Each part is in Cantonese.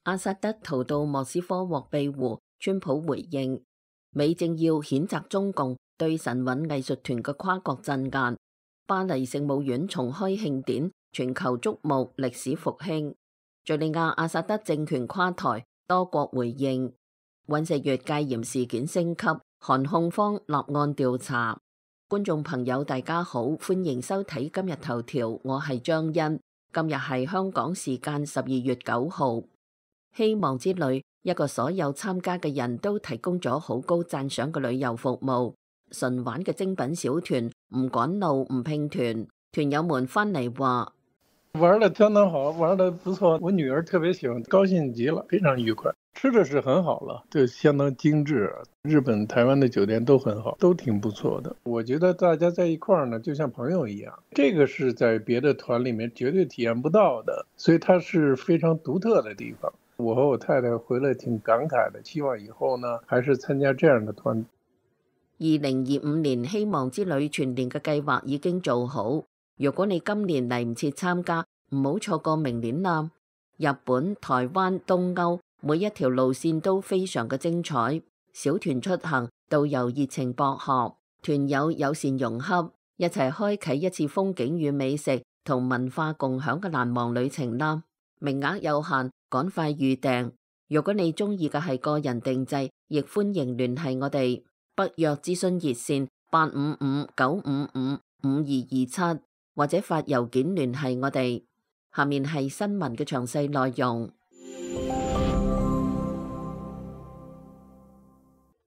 阿薩德逃到莫斯科獲庇護，川普回應美政要譴責中共對神韻藝術團嘅跨國鎮壓。巴黎聖母院重開慶典，全球矚目歷史復興。敘利亞阿薩德政權垮台，多國回應。尹錫悅戒嚴事件升級，韓控方立案調查。觀眾朋友大家好，歡迎收睇今日頭條，我係張欣。今日係香港時間12月9號。希望之旅一個所有參加嘅人都提供咗好高讚賞嘅旅遊服務，純玩嘅精品小團，唔趕路唔拼團，團友們翻嚟話玩得相當好，玩得不錯，我女兒特別喜歡，高興極了，非常愉快。吃的是很好了，就相當精緻。日本、台灣的酒店都很好，都挺不錯的。我覺得大家在一塊兒呢，就像朋友一樣，這個是在別的團裡面絕對體驗不到的，所以它是非常獨特的地方。我和我太太回來挺感慨的，希望以後呢，還是參加這樣的團。2025年希望之旅全年嘅計劃已經做好，如果你今年嚟唔切參加，唔好錯過明年啦。日本、台灣、東歐每一條路線都非常嘅精彩，小團出行，導遊熱情博學，團友友善融洽，一齊開啟一次風景與美食同文化共享嘅難忘旅程啦。名額有限，趕快預訂。如果你中意嘅係個人定製，亦歡迎聯繫我哋。北約諮詢熱線855-955-5227，或者發郵件聯繫我哋。下面係新聞嘅詳細內容。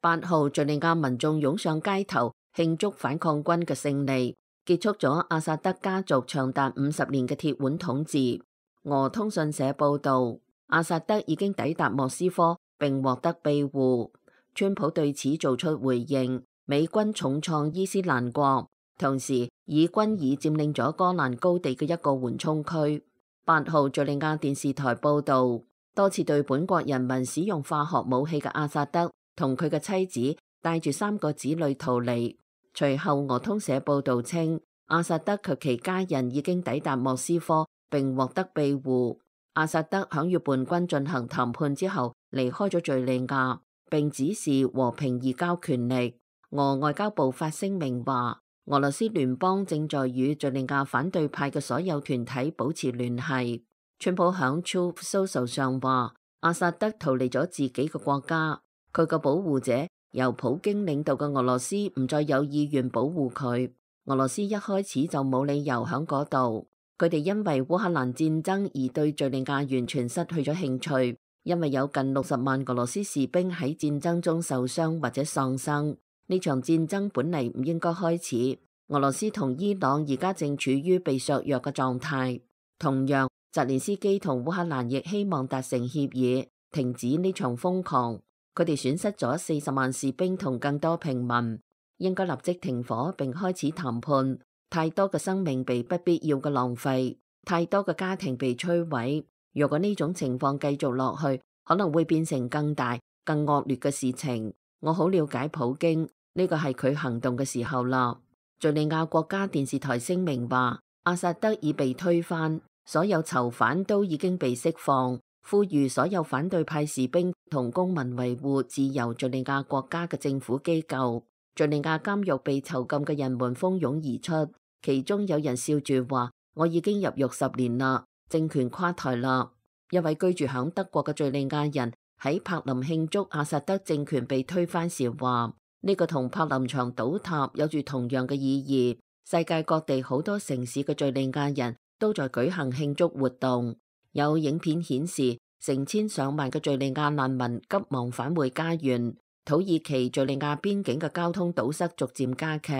8號，敘利亞民眾湧上街頭慶祝反抗軍嘅勝利，結束咗阿薩德家族長達50年嘅鐵腕統治。俄通訊社報道，阿薩德已經抵達莫斯科並獲得庇護。川普對此做出回應，美軍重創伊斯蘭國，同時以軍已佔領咗戈蘭高地嘅一個緩衝區。8號，敘利亞電視台報道，多次對本國人民使用化學武器嘅阿薩德同佢嘅妻子帶住3個子女逃離。隨後俄通社報道稱，阿薩德及其家人已經抵達莫斯科並獲得庇護。阿薩德響與叛軍進行談判之後離開咗敘利亞，並指示和平移交權力。俄外交部發聲明話，俄羅斯聯邦正在與敘利亞反對派嘅所有團體保持聯繫。川普響 Truth Social 上話，阿薩德逃離咗自己嘅國家，佢嘅保護者由普京領導嘅俄羅斯唔再有意願保護佢。俄羅斯一開始就冇理由響嗰度，佢哋因為烏克蘭戰爭而對敘利亞完全失去咗興趣，因為有近60萬俄羅斯士兵喺戰爭中受傷或者喪生。呢場戰爭本嚟唔應該開始。俄羅斯同伊朗而家正處於被削弱嘅狀態。同樣，澤連斯基同烏克蘭亦希望達成協議，停止呢場瘋狂。佢哋損失咗40萬士兵同更多平民，應該立即停火並開始談判。太多嘅生命被不必要嘅浪費，太多嘅家庭被摧毀。如果呢種情況繼續落去，可能會變成更大、更惡劣嘅事情。我好了解普京，呢個係佢行動嘅時候啦。敘利亞國家電視台聲明話，阿薩德已被推翻，所有囚犯都已經被釋放，呼籲所有反對派士兵同公民維護自由敘利亞國家嘅政府機構。敘利亞監獄被囚禁嘅人們蜂擁而出，其中有人笑住話：我已經入獄10年啦，政權垮台啦。一位居住響德國嘅敘利亞人喺柏林慶祝阿薩德政權被推翻時話：呢個同柏林牆倒塌有住同樣嘅意義。世界各地好多城市嘅敘利亞人都在舉行慶祝活動。有影片顯示，成千上萬嘅敘利亞難民急忙返回家園。土耳其敘利亞邊境嘅交通堵塞逐漸加劇。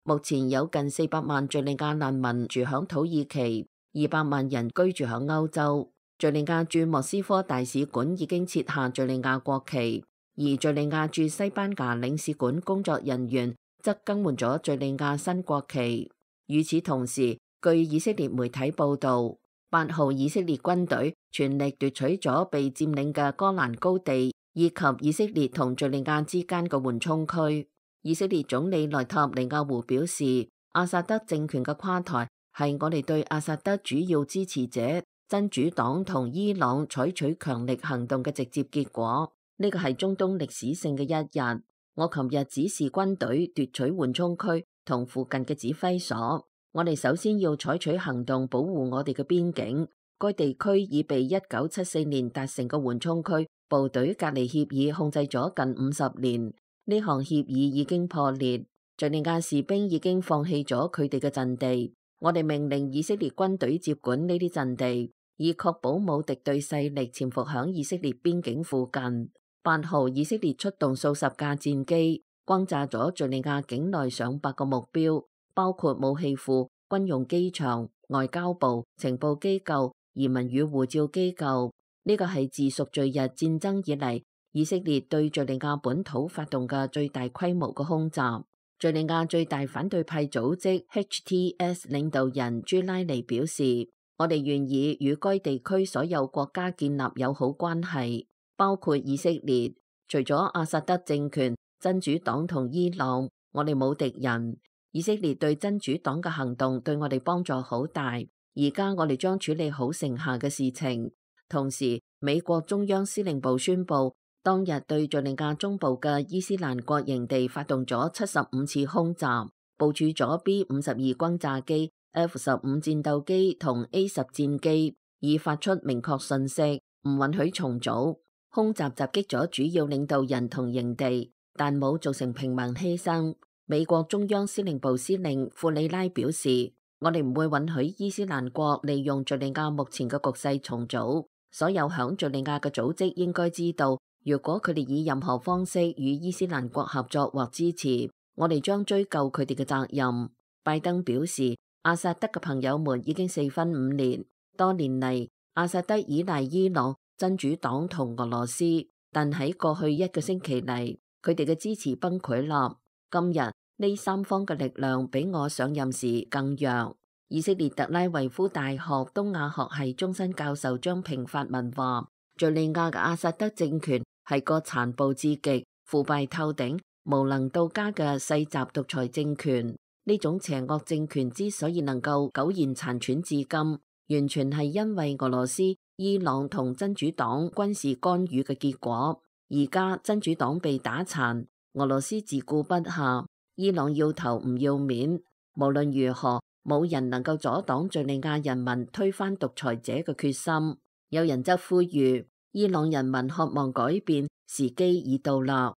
目前有近400萬敘利亞難民住響土耳其，200萬人居住響歐洲。敘利亞駐莫斯科大使館已經撤下敘利亞國旗，而敘利亞駐西班牙領事館工作人員則更換咗敘利亞新國旗。與此同時，據以色列媒體報道，8號以色列軍隊全力奪取咗被佔領嘅戈蘭高地，以及以色列同敘利亞之間嘅緩衝區。以色列總理內塔尼亞胡表示，阿薩德政權嘅垮台係我哋對阿薩德主要支持者真主黨同伊朗採取強力行動嘅直接結果。呢個係中東歷史性嘅一日。我琴日指示軍隊奪取緩衝區同附近嘅指揮所。我哋首先要採取行動保護我哋嘅邊境。該地區已被1974年達成嘅緩衝區部隊隔離協議控制咗近50年。呢項協議已經破裂，敘利亞士兵已經放棄咗佢哋嘅陣地。我哋命令以色列軍隊接管呢啲陣地，以確保冇敵對勢力潛伏響以色列邊境附近。8號，以色列出動數十架戰機，轟炸咗敘利亞境內上百個目標，包括武器庫、軍用機場、外交部、情報機構、移民與護照機構。呢個係自贖罪日戰爭以嚟，以色列對敘利亞本土發動嘅最大規模嘅空襲。敘利亞最大反對派組織 HTS 領導人朱拉尼表示，我哋願意與該地區所有國家建立友好關係，包括以色列。除咗阿薩德政權、真主黨同伊朗，我哋冇敵人。以色列對真主黨嘅行動對我哋幫助好大。而家我哋將處理好剩下嘅事情。同時，美國中央司令部宣布，當日對敘利亞中部嘅伊斯蘭國營地發動咗75次空襲，部署咗 B-52轟炸機、F-15戰鬥機同 A-10戰機，以發出明確信息，唔允許重組。空襲襲擊咗主要領導人同營地，但冇造成平民犧牲。美國中央司令部司令庫里拉表示，我哋唔會允許伊斯蘭國利用敘利亞目前嘅局勢重組。所有響敘利亞嘅組織應該知道，如果佢哋以任何方式與伊斯蘭國合作或支持，我哋將追究佢哋嘅責任。拜登表示，阿薩德嘅朋友們已經4分5裂。多年嚟，阿薩德依賴伊朗、真主黨同俄羅斯，但喺過去1個星期嚟，佢哋嘅支持崩潰啦。今日呢三方嘅力量比我上任時更弱。以色列特拉維夫大學東亞學系終身教授張平發文話，敘利亞嘅阿薩德政權係個殘暴至極、腐敗透頂、無能到家嘅世襲獨裁政權。呢種邪惡政權之所以能夠苟延殘喘至今，完全係因為俄羅斯、伊朗同真主黨軍事干預嘅結果。而家真主黨被打殘，俄羅斯自顧不暇，伊朗要頭唔要面。無論如何，冇人能夠阻擋敘利亞人民推翻獨裁者嘅決心。有人則呼籲，伊朗人民渴望改變，時機已到啦。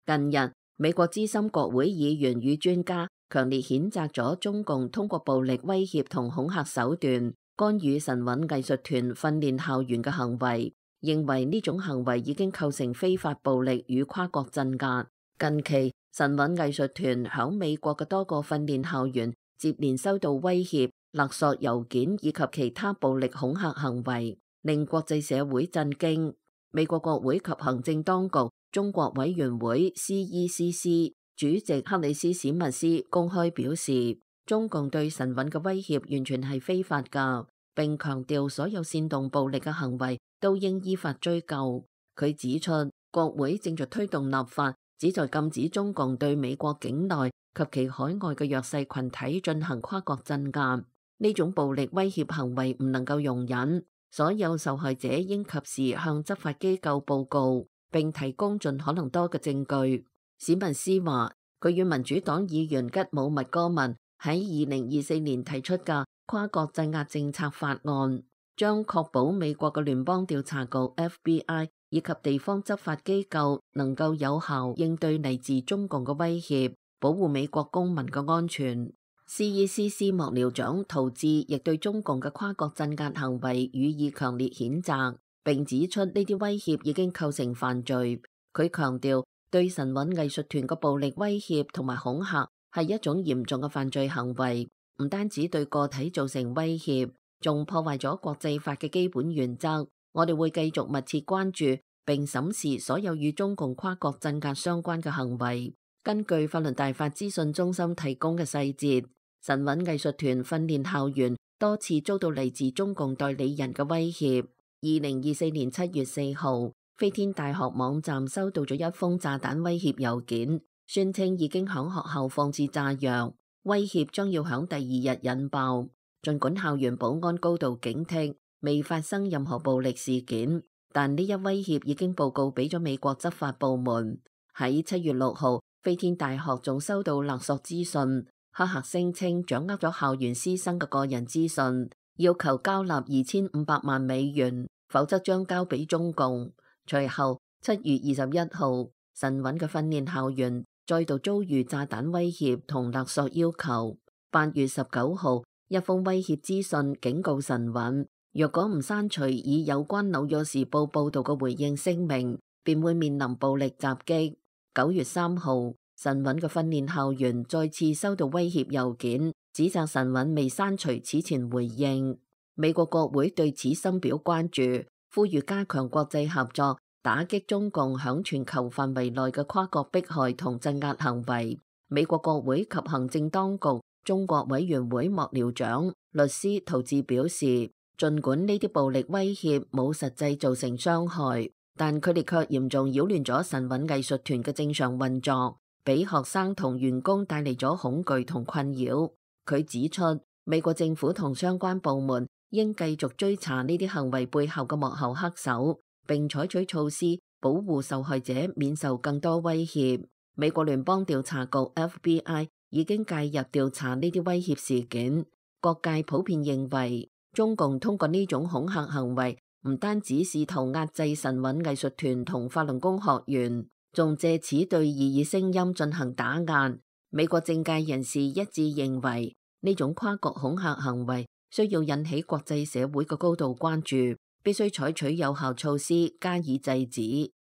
近日，美國資深國會議員與專家強烈譴責咗中共通過暴力威脅同恐嚇手段干預神韻藝術團訓練校園嘅行為，認為呢種行為已經構成非法暴力與跨國鎮壓。近期，神韻藝術團響美國嘅多個訓練校園接連收到威脅、勒索郵件以及其他暴力恐嚇行為，令國際社會震驚。美國國會及行政當局中國委員會 CECC 主席克里斯史密斯公開表示，中共對神韻嘅威脅完全係非法㗎，並強調所有煽動暴力嘅行為都應依法追究。佢指出，國會正在推動立法，旨在禁止中共對美國境內及其海外嘅弱勢群體進行跨國鎮壓。呢種暴力威脅行為唔能夠容忍，所有受害者應及時向執法機構報告，並提供盡可能多嘅證據。史密斯話，佢與民主黨議員吉姆麥戈文喺2024年提出嘅跨國鎮壓政策法案，將確保美國嘅聯邦調查局 FBI 以及地方執法機構能夠有效應對嚟自中共嘅威脅，保護美國公民嘅安全。CECC 幕僚長陶志亦對中共嘅跨國鎮壓行為予以強烈譴責，並指出呢啲威脅已經構成犯罪。佢強調，對神韻藝術團嘅暴力威脅同埋恐嚇係一種嚴重嘅犯罪行為，唔單止對個體造成威脅，仲破壞咗國際法嘅基本原則。我哋會繼續密切關注並審視所有與中共跨國鎮壓相關嘅行為。根據法律大法資訊中心提供嘅細節，神韻藝術團訓練校園多次遭到嚟自中共代理人嘅威脅。2024年7月4號，飛天大學網站收到咗一封炸彈威脅郵件，宣稱已經響學校放置炸藥。威脅將要響第二日引爆。儘管校園保安高度警惕，未發生任何暴力事件，但呢一威脅已經報告俾咗美國執法部門。喺7月6號，飛天大學仲收到勒索資訊，黑客聲稱掌握咗校園師生嘅個人資訊，要求交納2500萬美元，否則將交俾中共。隨後7月21號，神韻嘅訓練校園再度遭遇炸彈威脅同勒索要求。8月19號，一封威脅資訊警告神韻，若果唔刪除以有關紐約時報報道嘅回應聲明，便會面臨暴力襲擊。9月3號，神韻嘅訓練校園再次收到威脅郵件，指責神韻未刪除此前回應。美國國會對此深表關注，呼籲加強國際合作，打擊中共響全球範圍內嘅跨國迫害同鎮壓行為。美國國會及行政當局中國委員會幕僚長律師陶志表示，儘管呢啲暴力威脅冇實際造成傷害，但佢哋卻嚴重擾亂咗神韻藝術團嘅正常運作，俾學生同員工帶嚟咗恐懼同困擾。佢指出，美國政府同相關部門應繼續追查呢啲行為背後嘅幕後黑手，並採取措施保護受害者免受更多威脅。美國聯邦調查局 FBI 已經介入調查呢啲威脅事件。各界普遍認為，中共通過呢種恐嚇行為，唔單止試圖壓制神韻藝術團同法輪功學員，仲借此對異議聲音進行打壓。美國政界人士一致認為，呢種跨國恐嚇行為需要引起國際社會嘅高度關注，必須採取有效措施加以制止。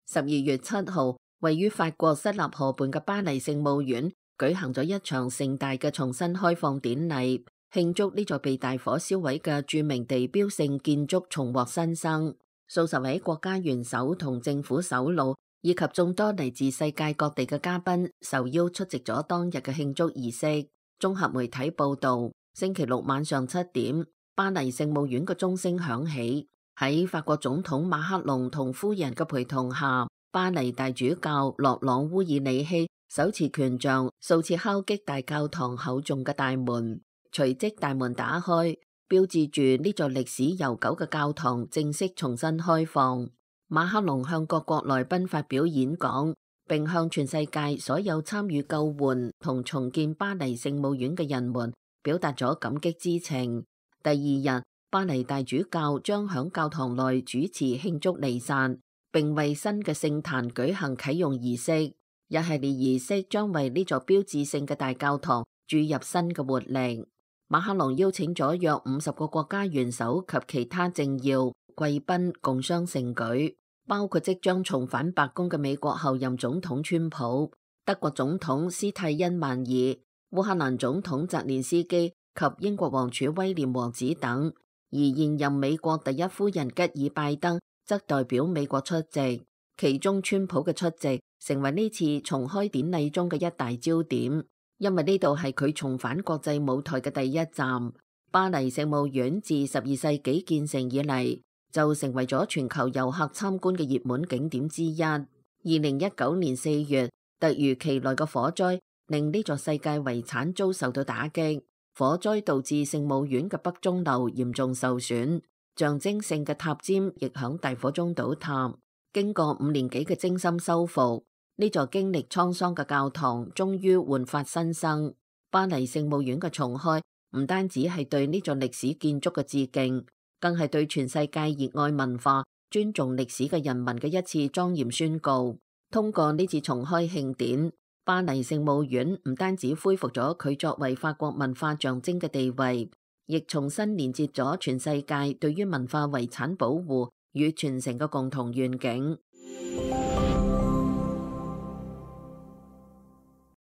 12月7號，位於法國塞納河畔嘅巴黎聖母院舉行咗一場盛大嘅重新開放典禮，慶祝呢座被大火燒毀嘅著名地標性建築重獲新生。數十位國家元首同政府首腦以及眾多嚟自世界各地嘅嘉賓受邀出席咗當日嘅慶祝儀式。綜合媒體報道，星期六晚上7點，巴黎聖母院嘅鐘聲響起。喺法國總統馬克龍同夫人嘅陪同下，巴黎大主教洛朗烏爾里希手持權杖數次敲擊大教堂厚重嘅大門，隨即大門打開，標誌住呢座歷史悠久嘅教堂正式重新開放。馬克龍向各國來賓發表演講，並向全世界所有參與救援同重建巴黎聖母院嘅人們表達咗感激之情。第二日，巴黎大主教將響教堂內主持慶祝彌撒，並為新嘅聖壇舉行啟用儀式。一系列儀式將為呢座標誌性嘅大教堂注入新嘅活力。馬克龍邀請咗約50個國家元首及其他政要貴賓共襄盛舉，包括即將重返白宮嘅美國後任總統川普、德國總統施泰因曼爾、烏克蘭總統澤連斯基及英國王儲威廉王子等。而現任美國第一夫人吉爾拜登則代表美國出席，其中川普嘅出席成為呢次重開典禮中嘅一大焦點，因為呢度係佢重返國際舞台嘅第一站。巴黎聖母院自12世紀建成以嚟，就成為咗全球遊客參觀嘅熱門景點之一。2019年4月，突如其來嘅火災令呢座世界遺產遭受到打擊。火災導致聖母院嘅北鐘樓嚴重受損，象徵性嘅塔尖亦響大火中倒塌。經過5年幾嘅精心修復，呢座經歷滄桑嘅教堂終於煥發新生。巴黎聖母院嘅重開唔單止係對呢座歷史建築嘅致敬，更係對全世界熱愛文化、尊重歷史嘅人民嘅一次莊嚴宣告。通過呢次重開慶典，巴黎聖母院唔單止恢復咗佢作為法國文化象徵嘅地位，亦重新連接咗全世界對於文化遺產保護與傳承嘅共同願景。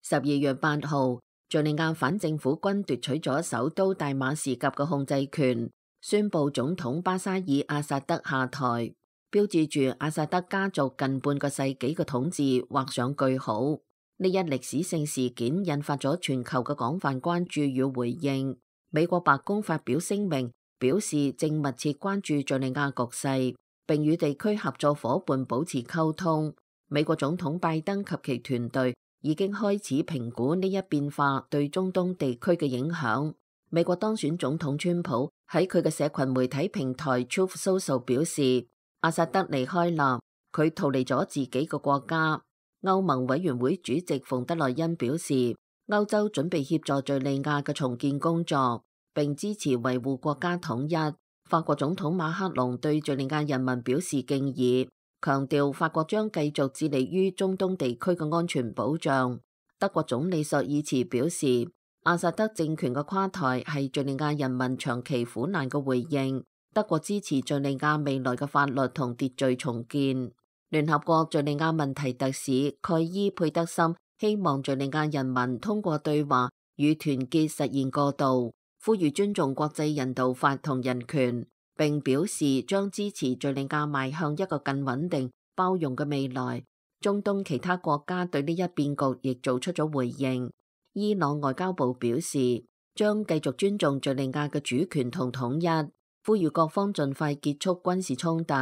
12月8號，敘利亞反政府軍奪取咗首都大馬士革嘅控制權，宣布總統巴沙爾阿薩德下台，標誌住阿薩德家族近半個世紀嘅統治畫上句號。呢一歷史性事件引發咗全球嘅廣泛關注與回應。美國白宮發表聲明，表示正密切關注敘利亞局勢，並與地區合作夥伴保持溝通。美國總統拜登及其團隊已經開始評估呢一變化對中東地區嘅影響。美國當選總統川普喺佢嘅社群媒體平台 Truth Social 表示，阿薩德離開啦，佢逃離咗自己個國家。歐盟委員會主席馮德萊恩表示，歐洲準備協助敘利亞嘅重建工作，並支持維護國家統一。法國總統馬克龍對敘利亞人民表示敬意，強調法國將繼續致力於中東地區嘅安全保障。德國總理朔爾茨表示，阿薩德政權嘅垮台係敘利亞人民長期苦難嘅回應。德國支持敘利亞未來嘅法律同秩序重建。聯合國敘利亞問題特使蓋伊佩德森希望敘利亞人民通過對話與團結實現過渡，呼籲尊重國際人道法同人權，並表示將支持敘利亞邁向一個更穩定、包容嘅未來。中東其他國家對呢一變局亦做出咗回應。伊朗外交部表示將繼續尊重敘利亞嘅主權同統一，呼籲各方盡快結束軍事衝突，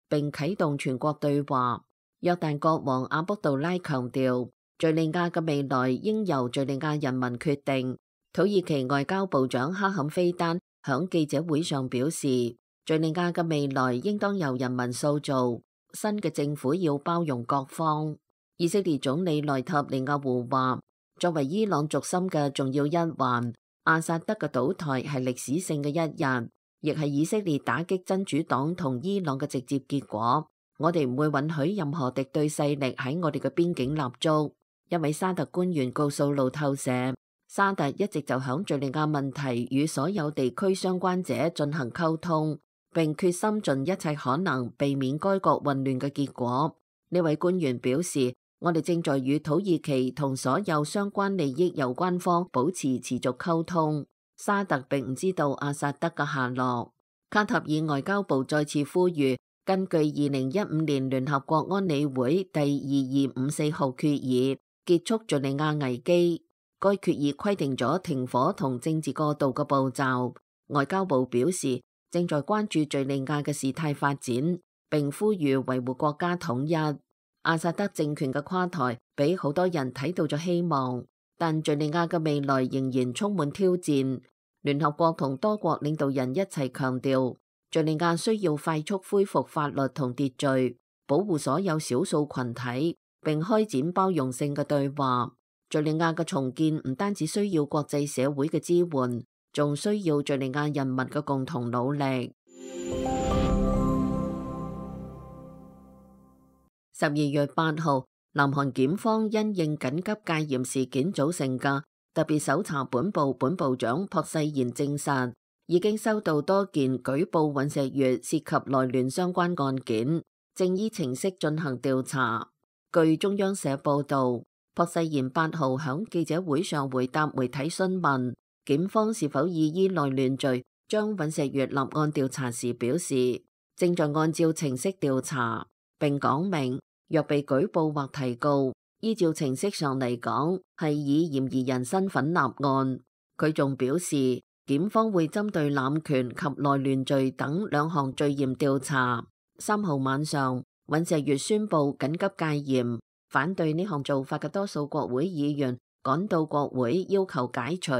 並啟動全國對話。約旦國王阿卜杜拉強調，敘利亞嘅未來應由敘利亞人民決定。土耳其外交部長哈坎菲丹響記者會上表示，敘利亞嘅未來應當由人民塑造，新嘅政府要包容各方。以色列總理內塔尼亞胡話，作為伊朗軸心嘅重要一環，阿薩德嘅倒台係歷史性嘅一日，亦係以色列打擊真主黨同伊朗嘅直接結果。我哋唔會允許任何敵對勢力喺我哋嘅邊境立足。一位沙特官員告訴路透社，沙特一直就響敘利亞問題與所有地區相關者進行溝通，並決心盡一切可能避免該國混亂嘅結果。呢位官員表示，我哋正在與土耳其同所有相關利益有關方保持持續溝通。沙特並唔知道阿薩德嘅下落。卡塔爾外交部再次呼籲，根據2015年聯合國安理會第2254號決議，結束敘利亞危機。該決議規定咗停火同政治過渡嘅步驟。外交部表示，正在關注敘利亞嘅事態發展，並呼籲維護國家統一。阿薩德政權嘅垮台俾好多人睇到咗希望，但敘利亞嘅未來仍然充滿挑戰。聯合國同多國領導人一齊強調，敘利亞需要快速恢復法律同秩序，保護所有少數群體，並開展包容性嘅對話。敘利亞嘅重建唔單止需要國際社會嘅支援，仲需要敘利亞人民嘅共同努力。12月8號，南韓檢方因應緊急戒嚴事件組成嘅特別搜查本部本部長朴世賢證實，已經收到多件舉報尹錫悅涉及內亂相關案件，正依程式進行調查。據中央社報導，朴世賢8號響記者會上回答媒體詢問，檢方是否以內亂罪將尹錫悅立案調查時表示，正在按照程式調查，並講明若被舉報或提告，依照程式上嚟講係以嫌疑人身份立案。佢仲表示，檢方會針對濫權及內亂罪等2項罪嫌調查。3號晚上，尹錫悅宣布緊急戒嚴，反對呢項做法嘅多數國會議員趕到國會要求解除。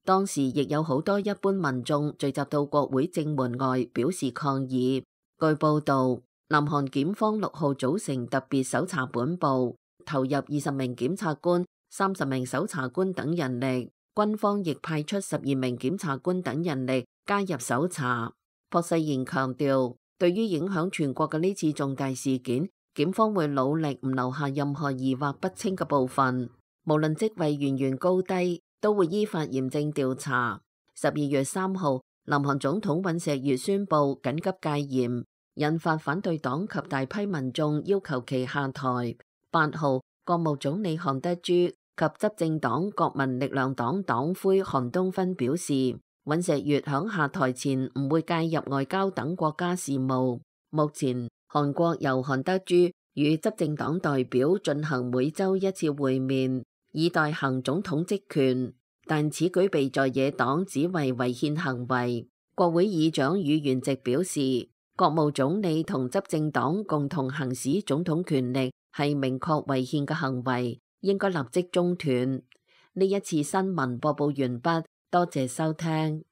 當時亦有好多一般民眾聚集到國會正門外表示抗議。據報道，南韓檢方6號組成特別搜查本部，投入20名檢察官、30名搜查官等人力，軍方亦派出12名檢察官等人力加入搜查。朴世賢強調，對於影響全國嘅呢次重大事件，檢方會努力唔留下任何疑惑不清嘅部分，無論職位源源高低，都會依法嚴正調查。12月3號，南韓總統尹錫悅宣布緊急戒嚴，引發反對黨及大批民眾要求其下台。8號，國務總理韓德洙及執政黨國民力量黨黨魁韓東勳表示，尹錫悅響下台前唔會介入外交等國家事務。目前，韓國由韓德洙與執政黨代表進行每週1次會面，以代行總統職權，但此舉被在野黨指為違憲行為。國會議長宇元直表示，國務總理同執政黨共同行使總統權力係明確違憲嘅行為，應該立即中斷。呢一次新聞播報完畢，多謝收聽。